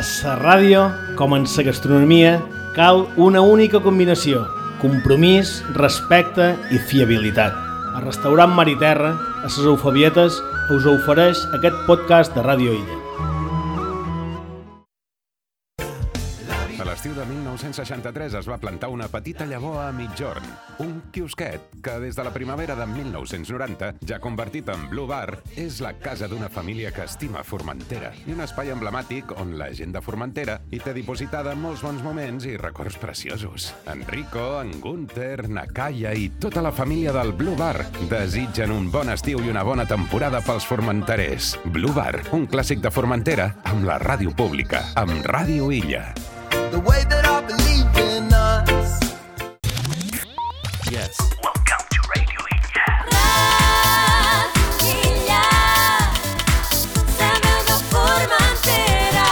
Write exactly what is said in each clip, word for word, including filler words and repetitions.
A la ràdio, com en la gastronomia, cal una única combinació: compromís, respecte i fiabilitat. El restaurant Mar i Terra, a les Eufebietes, us ofereix aquest podcast de Ràdio Illa. A l'estiu de mil nou-cents seixanta-tres es va plantar una petita llavor a Migjorn, un quiosquet que des de la primavera de mil nou-cents noranta, ja convertit en Blue Bar, és la casa d'una família que estima Formentera i un espai emblemàtic on la gent de Formentera hi té dipositada molts bons moments i records preciosos. En Rico, en Gunther, na Calla i tota la família del Blue Bar desitgen un bon estiu i una bona temporada pels formenterers. Blue Bar, un clàssic de Formentera amb la ràdio pública, amb Ràdio Illa. The way that I believe in us. Yes. Welcome to Radio Illa. Radio Illa, la veu de Formentera.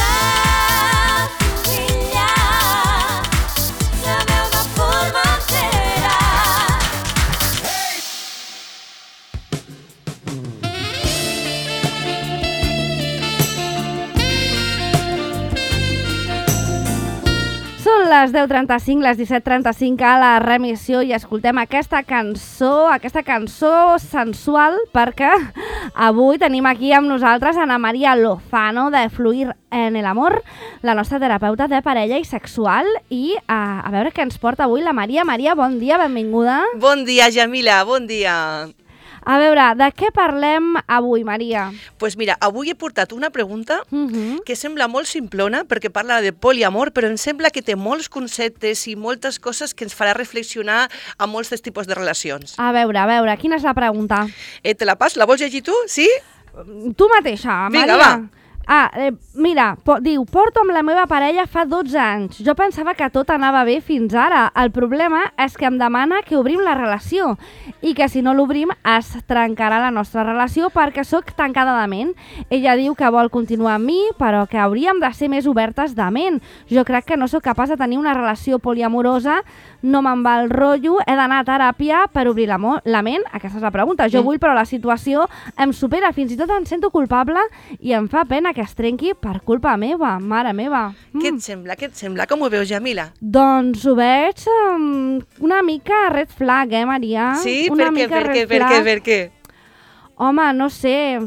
Radio Illa, la veu de Formentera. Són les deu trenta-cinc, les disset trenta-cinc a la remissió i escoltem aquesta cançó, aquesta cançó sensual, perquè avui tenim aquí amb nosaltres Ana Maria Lozano de Fluir en el Amor, la nostra terapeuta de parella i sexual, i a, a veure què ens porta avui la Maria. Maria, bon dia, benvinguda. Bon dia, Jamila, bon dia. A veure, de què parlem avui, Maria? Doncs pues mira, avui he portat una pregunta Uh-huh. que sembla molt simplona perquè parla de poliamor, però em sembla que té molts conceptes i moltes coses que ens farà reflexionar a molts dels tipus de relacions. A veure, a veure, quina és la pregunta? Eh, te la pas? La vols llegir tu? Sí? Tu mateixa, Vinga, Maria. va. Ah, eh, mira, po diu, porto amb la meva parella fa dotze anys. Jo pensava que tot anava bé fins ara. El problema és que em demana que obrim la relació i que si no l'obrim es trencarà la nostra relació perquè sóc tancada de ment. Ella diu que vol continuar amb mi, però que hauríem de ser més obertes de ment. Jo crec que no sóc capaç de tenir una relació poliamorosa, no me'n va el rotllo, he d'anar a teràpia per obrir la, la ment? Aquesta és la pregunta. Jo Mm. vull, però la situació em supera, fins i tot em sento culpable i em fa pena que es trenqui per culpa meva, mare meva. Mm. Què et sembla? Què et sembla? Com ho veus, Jamila? Doncs ho veig um, una mica red flag, eh, Maria? Sí? Una Per què? mica Per què? red Per què? flag. Per què? Home, no sé,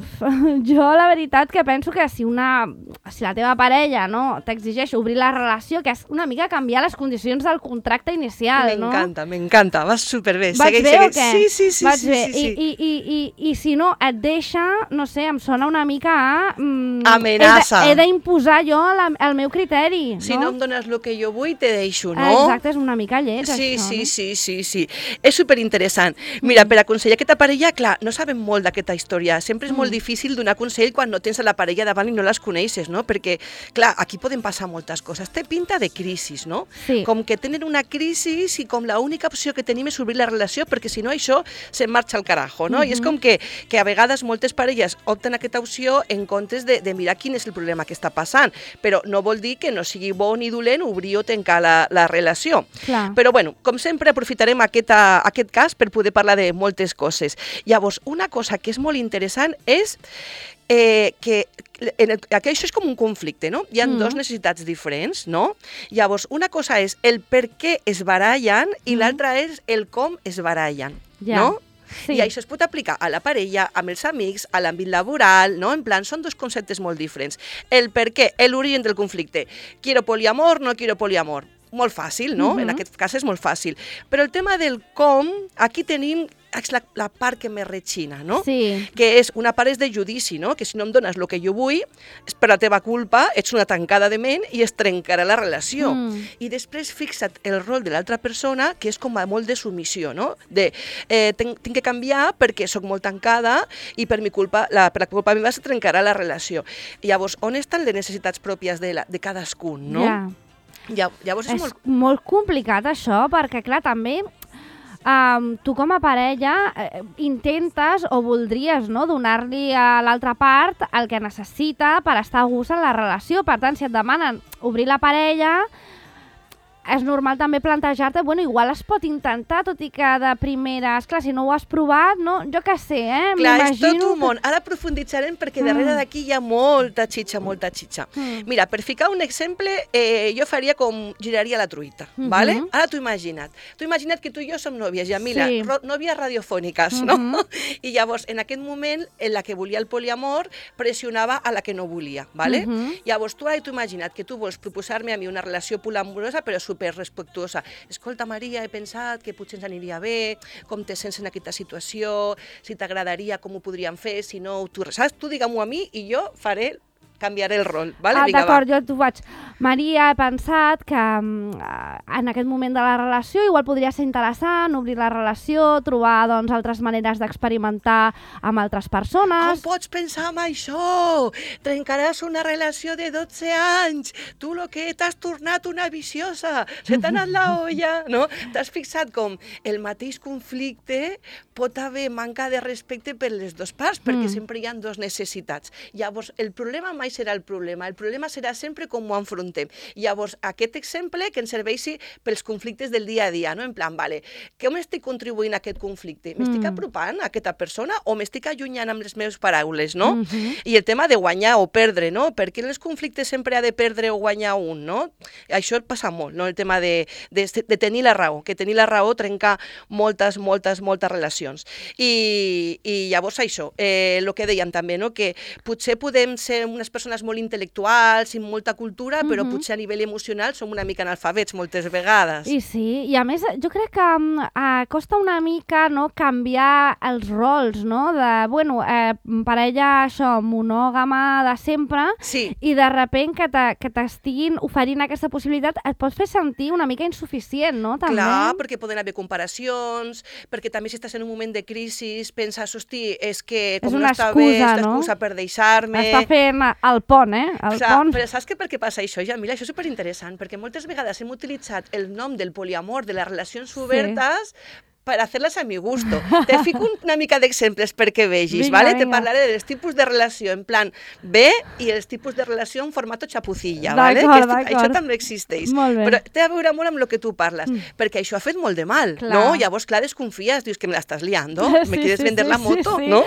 jo la veritat que penso que si una, si la teva parella no t'exigeix obrir la relació, que és una mica canviar les condicions del contracte inicial, no? M'encanta, m'encanta, vas superbé. Vaig Segueix, bé segueix. o què? Sí, sí, sí. Vaig sí, bé. sí, sí. I, i, i, i, I si no et deixa, no sé, em sona una mica a... Mm, Amenaça. He d'imposar jo la, el meu criteri, Si no? no em dones el que jo vull, te deixo, no? Exacte, és una mica lleig, Sí, això, sí, no? sí, sí, sí. És superinteressant. Mira, per aconsellar aquesta parella, clar, no sabem molt d'aquesta història. Sempre és molt difícil donar consell quan no tens a la parella davant i no les coneixes, no? Perquè, clar, aquí poden passar moltes coses. Té pinta de crisis, no? Sí. Com que tenen una crisi i com l'única opció que tenim és obrir la relació, perquè si no això se'n marxa al carajo, no? I és com que, que a vegades moltes parelles opten aquesta opció en comptes de, de mirar quin és el problema que està passant. Però no vol dir que no sigui bo ni dolent obrir o tancar la, la relació. Clar. Però, bueno, com sempre, aprofitarem aquest, a, aquest cas per poder parlar de moltes coses. Llavors, una cosa que és molt interessant és eh, que, en el, que això és com un conflicte, no? Hi ha Mm. dos necessitats diferents, no? Llavors, una cosa és el per què es barallen i l'altra és el com es barallen, Ja. no? Sí. I això es pot aplicar a la parella, amb els amics, a l'àmbit laboral, no? En plan, són dos conceptes molt diferents. El per què, l'origen del conflicte. Quiero poliamor, no quiero poliamor. Molt fàcil, no? Mhm. En aquest cas és molt fàcil. Però el tema del com, aquí tenim és la, la part que més retxina, no? Sí. Que és una part és de judici, no? Que si no em dones el que jo vull, és per la teva culpa, ets una tancada de ment i es trencarà la relació. Mm. I després fixa't el rol de l'altra persona, que és com a molt de submissió, no? De, eh, tinc, tinc que canviar perquè sóc molt tancada i per mi culpa, la, per la culpa meva se trencarà la relació. Llavors, on estan les necessitats pròpies de, la, de cadascun, no? Ja. Ja, llavors és, És molt... molt complicat això, perquè clar, també um, tu com a parella eh, intentes o voldries, no, donar-li a l'altra part el que necessita per estar a gust en la relació. Per tant, si et demanen obrir la parella, és normal també plantejar-te, bueno, igual es pot intentar, tot i que de primera, esclar, si no ho has provat, no? Jo què sé, eh? Clar, és tot M'imagino un món. Ara aprofunditzarem perquè darrere d'aquí hi ha molta xitxa, molta xitxa. Mm. Mira, per ficar un exemple, eh, jo faria com giraria la truita, Mhm. ¿vale? Ara t'ho imagina't. T'ho imagina't que tu i jo som nòvies, Yamila, Sí. ro- nòvies radiofòniques, no? I llavors, en aquest moment, en la que volia el poliamor, pressionava a la que no volia, ¿vale? Mhm. Llavors, tu ara t'ho imagina't que tu vols proposar-me a mi una relació poliamorosa, però super respectuosa. Escolta, Maria, he pensat que potser ens aniria bé, com te sents en aquesta situació, si t'agradaria, com ho podríem fer, si no, tu, saps? Tu digue-m'ho a mi i jo faré, canviaré el rol, ¿vale? Ah, Vinga, d'acord, va. jo t'ho faig. Maria, he pensat que mm, en aquest moment de la relació igual podria ser interessant obrir la relació, trobar doncs, altres maneres d'experimentar amb altres Com persones. pots pensar en això? Trencaràs una relació de dotze anys. Tu lo que t'has tornat una viciosa. Se t'ha anat la olla, no? T'has fixat com el mateix conflicte pot haver manca de respecte per les dues parts, perquè Mm. sempre hi ha dues necessitats. Llavors, el problema mai serà el problema. El problema serà sempre com ho enfrontem. Llavors, aquest exemple que ens serveixi pels conflictes del dia a dia, no? En plan, vale, com estic contribuint a aquest conflicte? M'estic Mm. apropant a aquesta persona o m'estic allunyant amb les meves paraules, no? Mhm. I el tema de guanyar o perdre, no? Per què en els conflictes sempre ha de perdre o guanyar un, no? Això passa molt, no? El tema de, de, de tenir la raó, que tenir la raó trenca moltes, moltes, moltes relacions. I, i llavors això, eh, el que dèiem també, no? Que potser podem ser unes persones molt intel·lectuals i amb molta cultura, però Mhm. potser a nivell emocional som una mica analfabets moltes vegades. I sí, i a més jo crec que mm, eh, costa una mica no, canviar els rols, no? De, bueno, eh, parella això, monògama de sempre, Sí. i de repent que te- que t'estiguin oferint aquesta possibilitat et pot fer sentir una mica insuficient, no? També. Clar, perquè poden haver comparacions, perquè també si estàs en un moment de crisi penses, hosti, és que com una no està bé, excusa, és no? l'excusa per deixar-me... Està fent el pont, eh? El O sea, pont. però saps que per què passa això, Jamila? Això és superinteressant, perquè moltes vegades hem utilitzat el nom del poliamor, de les relacions obertes, per fer-les a mi gusto. Te fico una mica d'exemples perquè vegis, Vinga, ¿vale? Te vinga. parlaré dels tipus de relació en plan B i els tipus de relació en formato xapucilla, ¿vale? D'acord, Que esto- d'acord. això també existeix. Molt bé. Però té a veure molt amb el que tu parles, perquè això ha fet molt de mal, Clar. no? Llavors, clar, desconfies, dius que me l'estàs liando, Sí, me quieres sí, vender sí, la sí, moto, sí. no?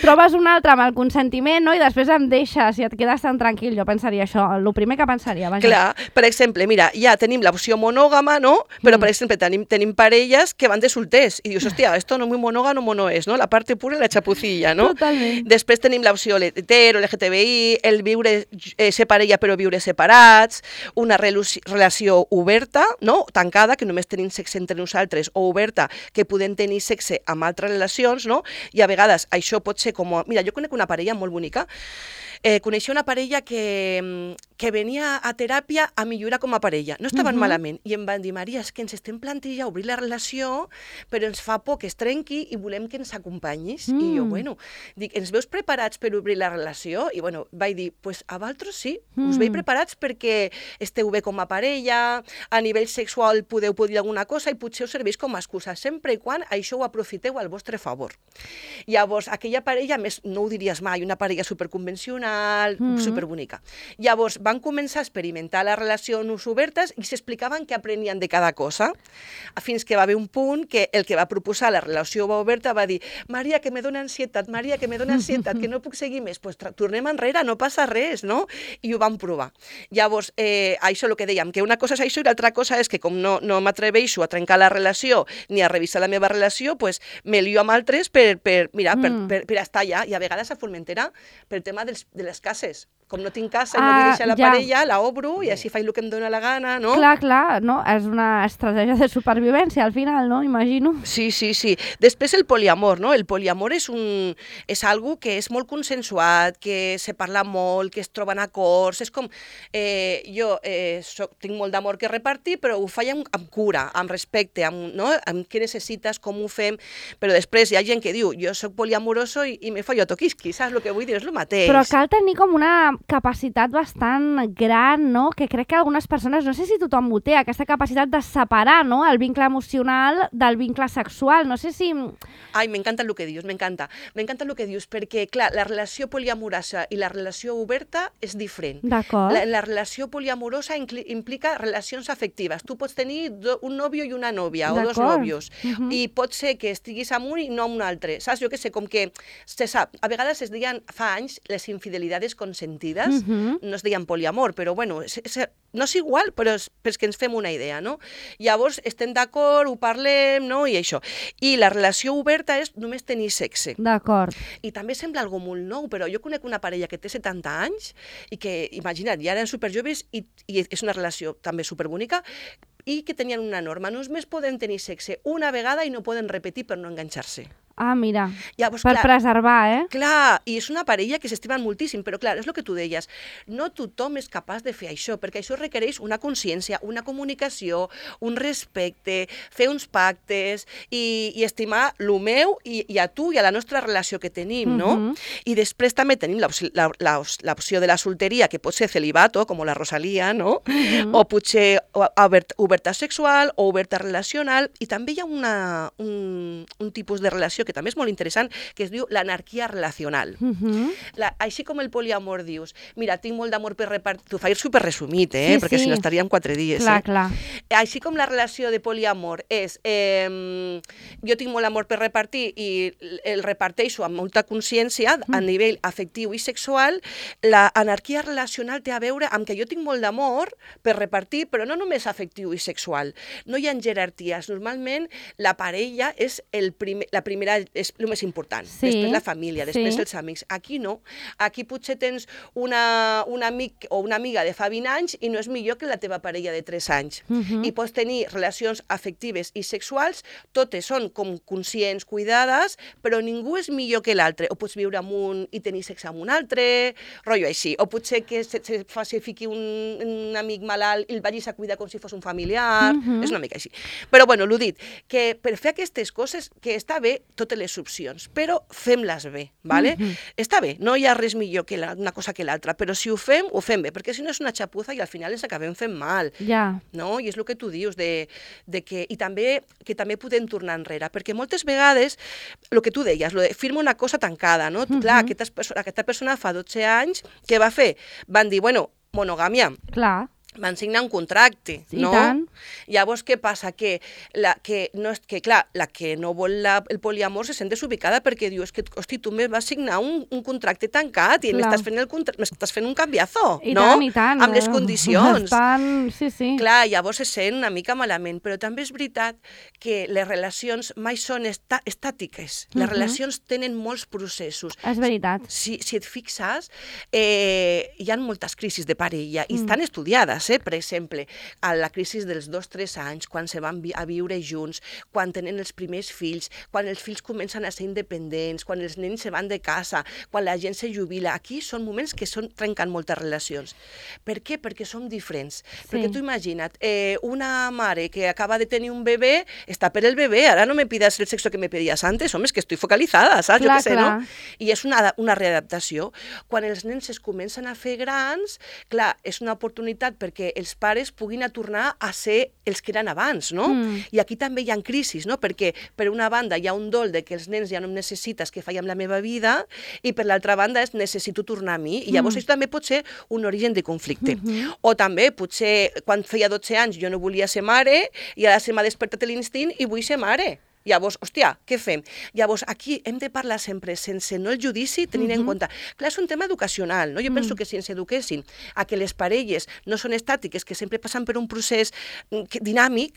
Trobes un altre amb el consentiment, no? I després em deixes i et quedes tan tranquil. Jo pensaria això, el primer que pensaria. Vaja. Clar, per exemple, mira, ja tenim l'opció monògama, no? Però, Mm. per exemple, tenim, tenim parelles que van de solters i dius, hòstia, esto no muy monógamo no és, no? La parte pura i la chapucilla, no? Totalment. Després tenim l'opció hetero, L G T B I, el viure, eh, ser parella però viure separats, una relu- relació oberta, no? Tancada, que només tenim sexe entre nosaltres, o oberta, que podem tenir sexe amb altres relacions, no? I a vegades això pot ser com... a- Mira, jo conec una parella molt bonica, eh, coneixia una parella que, que venia a teràpia a millorar com a parella. No estaven Mhm. malament. I em van dir, Maria, és que ens estem plantejant obrir la relació, però ens fa por que es trenqui i volem que ens acompanyis. Mm. I jo, Mm. bueno, dic, ens veus preparats per obrir la relació? I bueno, vaig dir, pues a vosaltres sí, us Mm. veig preparats perquè esteu bé com a parella, a nivell sexual podeu poder alguna cosa i potser us serveix com a excusa, sempre i quan això ho aprofiteu al vostre favor. Llavors, aquella parella, a més, no ho diries mai, una parella superconvencional, Mm. superbonica. Llavors, van començar a experimentar les relacions obertes i s'explicaven què aprenien de cada cosa, fins que va haver un punt que el que va proposar la relació oberta va dir Maria, que me dóna ansietat, Maria, que me dóna ansietat, que no puc seguir més, pues tra- tornem enrere, no passa res, no? I ho van provar. Llavors, eh, això el que dèiem, que una cosa és això i l'altra cosa és que com no, no m'atreveixo a trencar la relació ni a revisar la meva relació, pues me lio amb altres per, per, mira, per, Mm. per, per estar allà. I a vegades a Formentera, pel tema dels, de les cases. Com no tinc casa i no Ah, vull deixar la ja. parella, la obro i així faig el que em dóna la gana, no? Clar, clar, no? És una estratègia de supervivència al final, no? Imagino. Sí, sí, sí. Després el poliamor, no? El poliamor és un és algo que és molt consensuat, que se parla molt, que es troben acords, és com eh, jo eh, soc, tinc molt d'amor que repartir, però ho faig amb, amb cura, amb respecte, amb, no? amb què necessites, com ho fem, però després hi ha gent que diu, jo soc poliamoroso i, i me follo toquisqui, saps el que vull dir? És el mateix. Però cal tenir com una capacitat bastant gran, no? Que crec que algunes persones, no sé si tothom ho té, aquesta capacitat de separar, no?, el vincle emocional del vincle sexual. No sé si... Ai, m'encanta el que dius, m'encanta. M'encanta el que dius, perquè, clar, la relació poliamorosa i la relació oberta és diferent. D'acord. La, la relació poliamorosa incli- implica relacions afectives. Tu pots tenir do, un nòvio i una nòvia, o dos D'acord. nòvios, Mhm. i pot ser que estiguis amb un i no amb un altre. Saps? Jo què sé, com que se sap, a vegades es deien fa anys les infidelidades consentides, Mhm. no es deien poliamor, però bueno, és, és, no és igual, però és perquè ens fem una idea, no? Llavors estem d'acord, ho parlem, no? I això. I la relació oberta és només tenir sexe. D'acord. I també sembla algo molt nou, però jo conec una parella que té setanta anys i que, imagina't, ja eren superjoves i, i és una relació també superbonica i que tenien una norma. Només poden tenir sexe una vegada i no poden repetir per no enganxar-se. Ah, mira, Llavors, per clar, preservar, eh? Clar, i és una parella que s'estimen moltíssim, però clar, és el que tu deies, no tothom és capaç de fer això, perquè això requereix una consciència, una comunicació, un respecte, fer uns pactes i, i estimar lo meu i, i a tu i a la nostra relació que tenim, no? Mhm. I després també tenim l'opció la, la, l'opció de la solteria, que pot ser celibato, com la Rosalia, no? Mhm. O potser o- obert, oberta sexual o oberta relacional, i també hi ha una, un, un tipus de relació que també és molt interessant, que es diu l'anarquia relacional. Mhm. La, així com el poliamor dius, mira, tinc molt d'amor per repartir, t'ho faig super resumit, eh? Sí, perquè sí. si no estaríem quatre dies. Clar, eh? clar. Així com la relació de poliamor és, eh, jo tinc molt amor per repartir i el reparteixo amb molta consciència a nivell afectiu i sexual, la anarquia relacional té a veure amb que jo tinc molt d'amor per repartir, però no només afectiu i sexual. No hi ha jerarquies. Normalment la parella és el primer, la primera és el més important. Sí, Després la família, després sí. els amics. Aquí no. Aquí potser tens una, un amic o una amiga de fa vint anys i no és millor que la teva parella de tres anys. Mhm. I pots tenir relacions afectives i sexuals, totes són com conscients, cuidades, però ningú és millor que l'altre. O pots viure amb un i tenir sexe amb un altre, rotllo així. O potser que se, se, fa, se fiqui un, un amic malalt i el vagis a cuidar com si fos un familiar. Mhm. És una mica així. Però bueno, l'ho dit, que per fer aquestes coses, que està bé totes les opcions, però fem-les bé, ¿vale? Mhm. Està bé, no hi ha res millor que la, una cosa que l'altra, però si ho fem, ho fem bé, perquè si no és una xapuza i al final ens acabem fent mal. Ja. No? I és el que tu dius, de, de que, i també que també podem tornar enrere, perquè moltes vegades, el que tu deies, lo de firma una cosa tancada, no? Mhm. Clar, aquesta, perso- aquesta persona fa dotze anys, què va fer? Van dir, bueno, monogàmia, Clar. van signar un contracte, I no? tant. Llavors, què passa? Que, la, que, no és, que clar, la que no vol la, el poliamor se sent desubicada perquè diu, és que, hosti, tu me vas signar un, un contracte tancat i Clar. m'estàs fent, el contra- m'estàs fent un canviazo, I no? tant, i tant. Amb les eh, condicions. Estan... Sí, sí. Clar, llavors se sent una mica malament, però també és veritat que les relacions mai són esta estàtiques. Les Mhm. relacions tenen molts processos. És veritat. Si, si et fixes, eh, hi ha moltes crisis de parella i Mm. estan estudiades, eh? Per exemple, a la crisi dels dos tres anys, quan se van vi a viure junts, quan tenen els primers fills, quan els fills comencen a ser independents, quan els nens se van de casa, quan la gent se jubila. Aquí són moments que són, trenquen moltes relacions. Per què? Perquè som diferents. Sí. Perquè tu imagina't, eh, una mare que acaba de tenir un bebè, està per el bebè, ara no me pidas el sexo que me pedías antes, home, és que estic focalitzada, saps? Clar, jo què sé, clar. no? I és una, una readaptació. Quan els nens es comencen a fer grans, clar, és una oportunitat perquè els pares puguin a tornar a ser els que eren abans, no? Mm. I aquí també hi ha crisis, no? Perquè per una banda hi ha un dol de que els nens ja no em necessites que faig amb la meva vida i per l'altra banda és necessito tornar a mi i llavors Mm. això també pot ser un origen de conflicte. Mhm. O també potser quan feia dotze anys jo no volia ser mare i ara se m'ha despertat l'instint i vull ser mare. Llavors, hòstia, què fem? Llavors, aquí hem de parlar sempre sense no el judici, tenint en Mhm. compte... Clar, és un tema educacional, no? Jo penso que si ens eduquessin a que les parelles no són estàtiques, que sempre passen per un procés mm, que- dinàmic,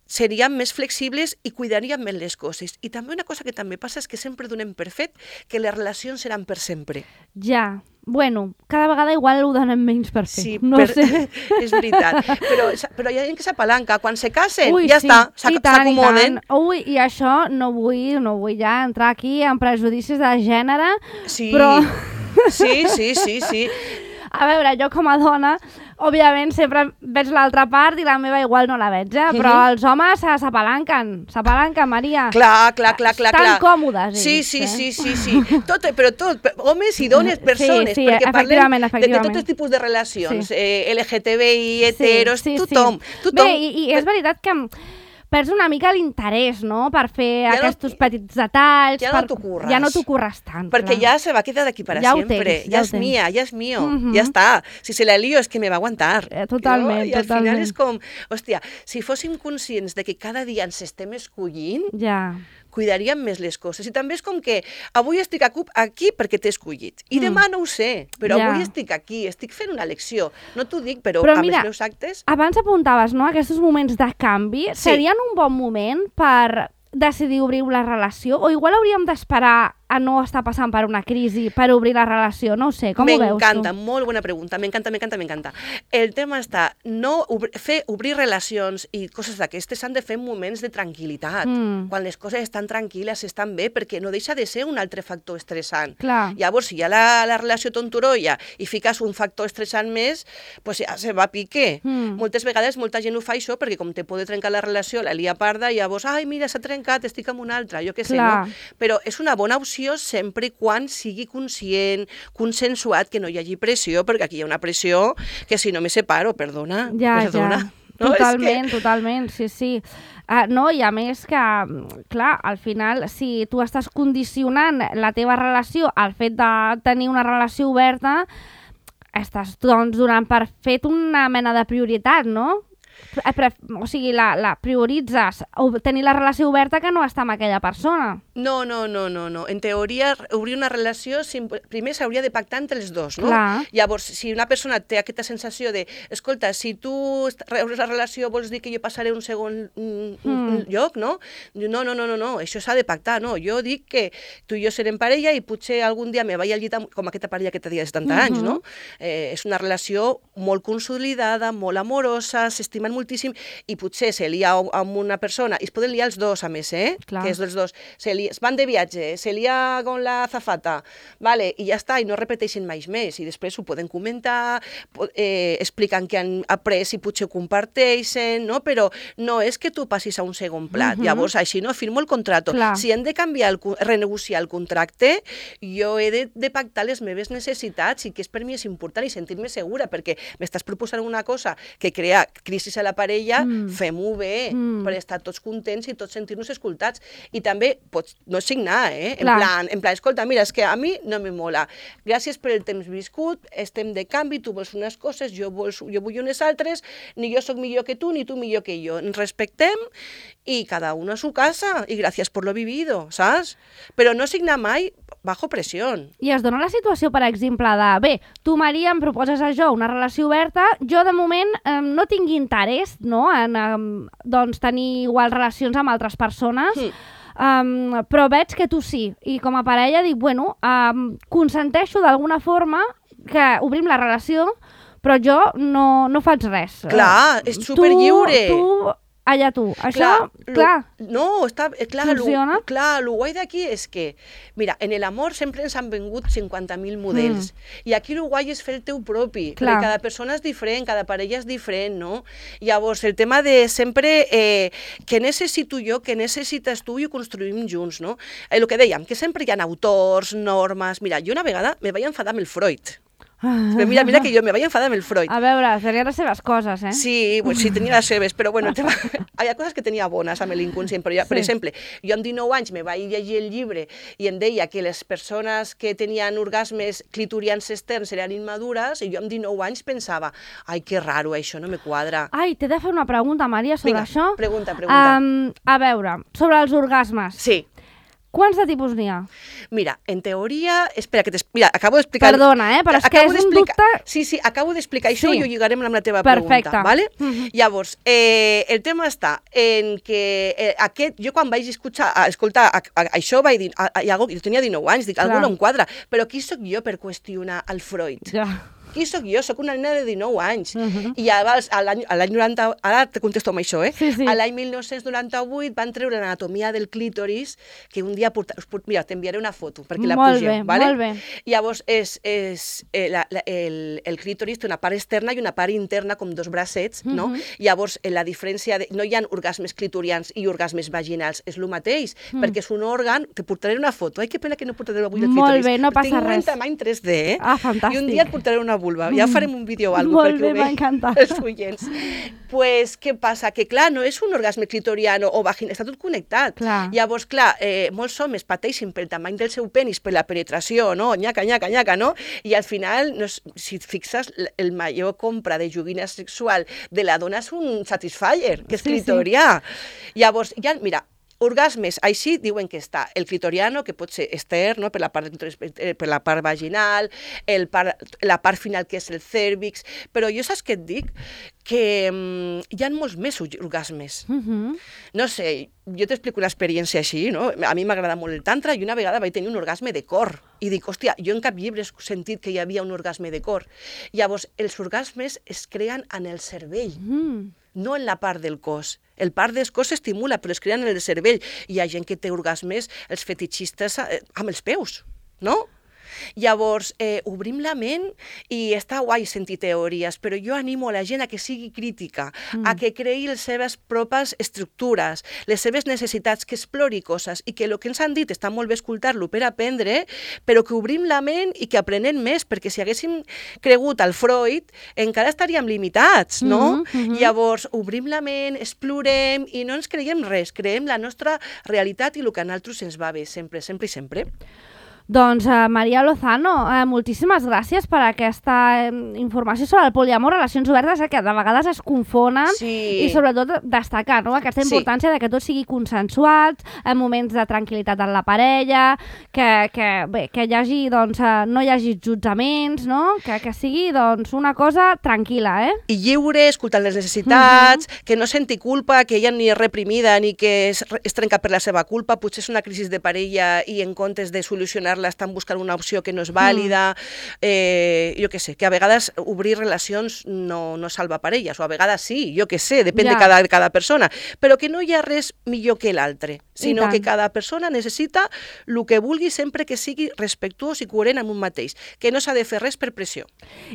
serien més flexibles i cuidarien més les coses. I també una cosa que també passa és que sempre donem per fet que les relacions seran per sempre. Ja. Bueno, cada vegada igual ho donen menys per fer. Sí, no per... sé. és veritat. Però, però hi ha gent que s'apalanca. Quan se casen, Ui, ja sí, està, i tant, i s'acomoden. tant. Ui, i això no vull, no vull ja entrar aquí en prejudicis de gènere, Sí, però... sí, sí, sí, sí. A veure, jo com a dona òbviament, sempre veig l'altra part i la meva igual no la veig, eh? Però els homes se- s'apalanquen, s'apalanquen, Maria. Clar, clar, clar, clar. Estan clar. còmodes, ells, Sí, sí, eh? sí, sí, sí. Tot, però tot, per- homes i dones, persones, sí, perquè parlem efectivament, de, de efectivament. tots els tipus de relacions, Sí. eh, L G T B I, heteros, Sí, sí, tothom, sí. tothom. Bé, i, i és veritat que perds una mica l'interès, no?, per fer Ja no- aquests petits detalls. ja no per... t'ho curres. Ja no t'ho curres tant, Perquè clar. ya se va a quedar aquí para Ja ho siempre. tens, ya ja ho es tens. mía, ya es mío, Mhm. ya está. Si se la lío es que me va a aguantar. Eh, totalment, No? I al final totalment. és com, hòstia, si fóssim conscients de que cada dia ens estem escollint, Ja. cuidaríem més les coses. I també és com que avui estic a CUP aquí perquè t'he escollit. I Mm. demà no ho sé, però Ja. avui estic aquí, estic fent una elecció. No t'ho dic, però, Però amb mira, els meus actes... Abans apuntaves, no?, aquests moments de canvi. Sí. Serien un bon moment per decidir obrir la relació? O igual hauríem d'esperar a no estar passant per una crisi per obrir la relació? No ho sé, com ho veus tu? M'encanta, molt bona pregunta, m'encanta, m'encanta, m'encanta. El tema està, no obr fer, obrir relacions i coses d'aquestes s'han de fer en moments de tranquil·litat, Mm. quan les coses estan tranquil·les, estan bé, perquè no deixa de ser un altre factor estressant. Clar. Llavors, si hi ha la, la relació tonturolla i fiques un factor estressant més, pues ja se va a pique. Mm. Moltes vegades molta gent ho fa això perquè com te pot trencar la relació, la lia parda, i llavors, ai, mira, s'ha trencat, estic amb una altra, jo què sé, Clar. no? Però és una bona opció sempre i quan sigui conscient, consensuat, que no hi hagi pressió, perquè aquí hi ha una pressió que si no me separo, perdona, Ja, perdona. ja. No, és Totalment, que... totalment, sí, sí. Uh, no, i a més que, clar, al final, si tu estàs condicionant la teva relació al fet de tenir una relació oberta, estàs, doncs, donant per fet una mena de prioritat, no? Eh, pre- O sigui, la, la prioritzes o tenir la relació oberta que no estar amb aquella persona. No, no, no, no, no. En teoria, obrir una relació, sim- primer s'hauria de pactar entre els dos, no? Clar. Llavors, si una persona té aquesta sensació de, escolta, si tu est- obres la relació vols dir que jo passaré un segon mm, Mm. lloc, no? Diu, no, no, no, no, no, això s'ha de pactar, no? Jo dic que tu i jo serem parella i potser algun dia me vaig al llit amb, com aquesta parella que té de setanta anys, no? Eh, és una relació molt consolidada, molt amorosa, s'estimen moltíssim i potser se lia amb una persona, i es poden liar els dos, a més, eh? Clar. Que és dels dos. Se lia, van de viatge, se lia con la azafata, vale, i ja està, i no repeteixen mai més, i després ho poden comentar, po- eh, expliquen que han après i potser ho comparteixen, no? Però no és que tu passis a un segon plat. Mhm. Llavors, així no, firmo el contracte. Clar. Si hem de canviar, el, co- renegociar el contracte, jo he de, de pactar les meves necessitats i que és per mi és important i sentir-me segura, perquè m'estàs proposant una cosa que crea crisi a la parella, Mm. fem-ho bé, Mm. per estar tots contents i tots sentir-nos escoltats. I també pots no signar, eh? En Clar. plan, en plan, escolta, mira, és que a mi no me mola. Gràcies per el temps viscut, estem de canvi, tu vols unes coses, jo, vols, jo vull unes altres, ni jo sóc millor que tu, ni tu millor que jo. Ens respectem i cada uno a su casa, i gràcies per lo vivido, saps? Però no signar mai bajo pressió. I es dona la situació, per exemple, de bé, tu, Maria, em proposes a jo una relació oberta, jo de moment eh, no tinc interès, no?, en eh, doncs, tenir igual relacions amb altres persones, Mm. um, però veig que tu sí. I com a parella dic, bueno, um, consenteixo d'alguna forma que obrim la relació, però jo no, no faig res. Clar, Eh, és superlliure. Tu, tu, allà tu. Això, lo- clar, no, està, eh, clar, Funciona? Lo, clar, el guai d'aquí és que, mira, en el amor sempre ens han vengut cinquanta mil models, i aquí el guai és fer el teu propi, Clar. perquè cada persona és diferent, cada parella és diferent, no? Llavors, el tema de sempre, eh, què necessito jo, què necessites tu, i ho construïm junts, no? Eh, el que dèiem, que sempre hi ha autors, normes... Mira, jo una vegada me vaig enfadar amb el Freud. Però mira, mira que jo me vaig enfadar amb el Freud. a veure, serien les seves coses, eh? Sí, pues sí, tenia les seves, però bueno, el tema... hi ha coses que tenia bones amb l'inconscient, però ja, per Sí. exemple, jo amb dinou anys me vaig llegir el llibre i em deia que les persones que tenien orgasmes clitorians externs eren immadures, i jo amb dinou anys pensava, ai, que raro, això no me quadra. Ai, t'he de fer una pregunta, Maria, sobre Vinga, això. pregunta, pregunta. Um, a veure, sobre els orgasmes. Sí, Quants de tipus n'hi ha? mira, en teoria... Espera, que mira, acabo d'explicar... Perdona, eh, però és que Acabo és un d'explicar- dubte- Sí, sí, acabo d'explicar això Sí. i ho lligarem amb la teva Perfecte. pregunta, ¿vale? Mhm. Llavors, eh, el tema està en que eh, aquest, jo quan vaig escoltar, a, escoltar a, a, això vaig dir, a, a, jo tenia dinou anys, dic, algú Clar. no em quadra, però qui sóc jo per qüestionar el Freud? Ja. qui sóc jo? Soc una nena de dinou anys. Uh -huh. I abans, a l'any a l'any noranta... Ara te contesto amb això, eh? Sí, sí. A l'any mil nou-cents noranta-vuit van treure l'anatomia del clítoris, que un dia... Porta... Mira, t'enviaré una foto perquè la Molt pugeu, bé, vale? molt bé. Llavors, és, és, eh, la, la, el, el clítoris té una part externa i una part interna, com dos bracets, no? Mhm. Llavors, eh, la diferència... De... No hi ha orgasmes clitorians i orgasmes vaginals, és el mateix, Mm. perquè és un òrgan... Te portaré una foto. Ai, que pena que no portaré avui el Molt clítoris. bé, no passa Tinc res. un tamany tres D, eh? Ah, fantàstic. I un dia et portaré una vulva. Ja farem un vídeo o alguna Molt cosa bé, perquè m'ha ho encantat. veig els oients. Pues, què passa? Que, clar, no és un orgasme clitoriano o vaginal, està tot connectat. Clar. Llavors, clar, eh, molts homes pateixen pel tamany del seu penis, per la penetració, no? Nyaca, nyaca, nyaca, no? I al final, no és, si et fixes, l- el major compra de joguina sexual de la dona és un Satisfyer, que és Sí, sí. clitorià. Llavors, ja, mira, orgasmes, així diuen que està el clitoriano, que pot ser extern, no? per, la part, del clítoris, eh, per la part vaginal, el part, la part final que és el cèrvix, però jo saps què et dic? Que mm, hi ha molts més orgasmes. Mhm. No sé, jo t'explico una experiència així, no? A mi m'agrada molt el tantra i una vegada vaig tenir un orgasme de cor. I dic, hòstia, jo en cap llibre he sentit que hi havia un orgasme de cor. Llavors, els orgasmes es creen en el cervell, Mm. no en la part del cos. El part del cos s'estimula, però es creen en el cervell. Hi ha gent que té orgasmes, els fetichistes, eh, amb els peus, no? Llavors, eh, obrim la ment i està guai sentir teories, però jo animo a la gent a que sigui crítica, mm. a que creï les seves pròpies estructures, les seves necessitats, que explori coses i que el que ens han dit està molt bé escoltar-lo per aprendre, però que obrim la ment i que aprenem més, perquè si haguéssim cregut al Freud encara estaríem limitats, no? Mhm, mhm. Llavors, obrim la ment, explorem i no ens creiem res, creem la nostra realitat i el que a nosaltres ens va bé, sempre, sempre i sempre. Doncs, uh, Maria Lozano, uh, moltíssimes gràcies per aquesta uh, informació sobre el poliamor, relacions obertes, eh, que de vegades es confonen, Sí. i sobretot destacar, no?, aquesta Sí. importància de que tot sigui consensuat, en moments de tranquil·litat en la parella, que, que, bé, que hi hagi, doncs, uh, no hi hagi jutjaments, no?, que, que sigui, doncs, una cosa tranquil·la, eh? I lliure, escoltant les necessitats, uh -huh. que no senti culpa, que ella ni és reprimida ni que es, es trenca per la seva culpa, potser és una crisi de parella i en comptes de solucionar-la estan buscant una opció que no és vàlida, mm. eh, jo què sé, que a vegades obrir relacions no, no salva parelles, o a vegades sí, jo què sé, depèn Ja. de cada, de cada persona, però que no hi ha res millor que l'altre, sinó tant. que cada persona necessita el que vulgui sempre que sigui respectuós i coherent amb un mateix, que no s'ha de fer res per pressió.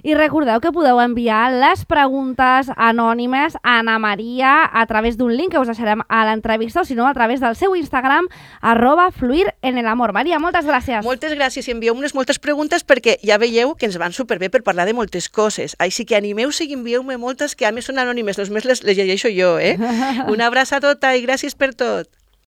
I recordeu que podeu enviar les preguntes anònimes a Ana Maria a través d'un link que us deixarem a l'entrevista, o si no, a través del seu Instagram, arroba fluir en el amor. Maria, moltes gràcies. Moltes gràcies i envieu unes moltes preguntes perquè ja veieu que ens van superbé per parlar de moltes coses. Així que animeu-se i envieu-me moltes que a més són anònimes, només les, les llegeixo jo, eh? Una abraça a tota i gràcies per tot.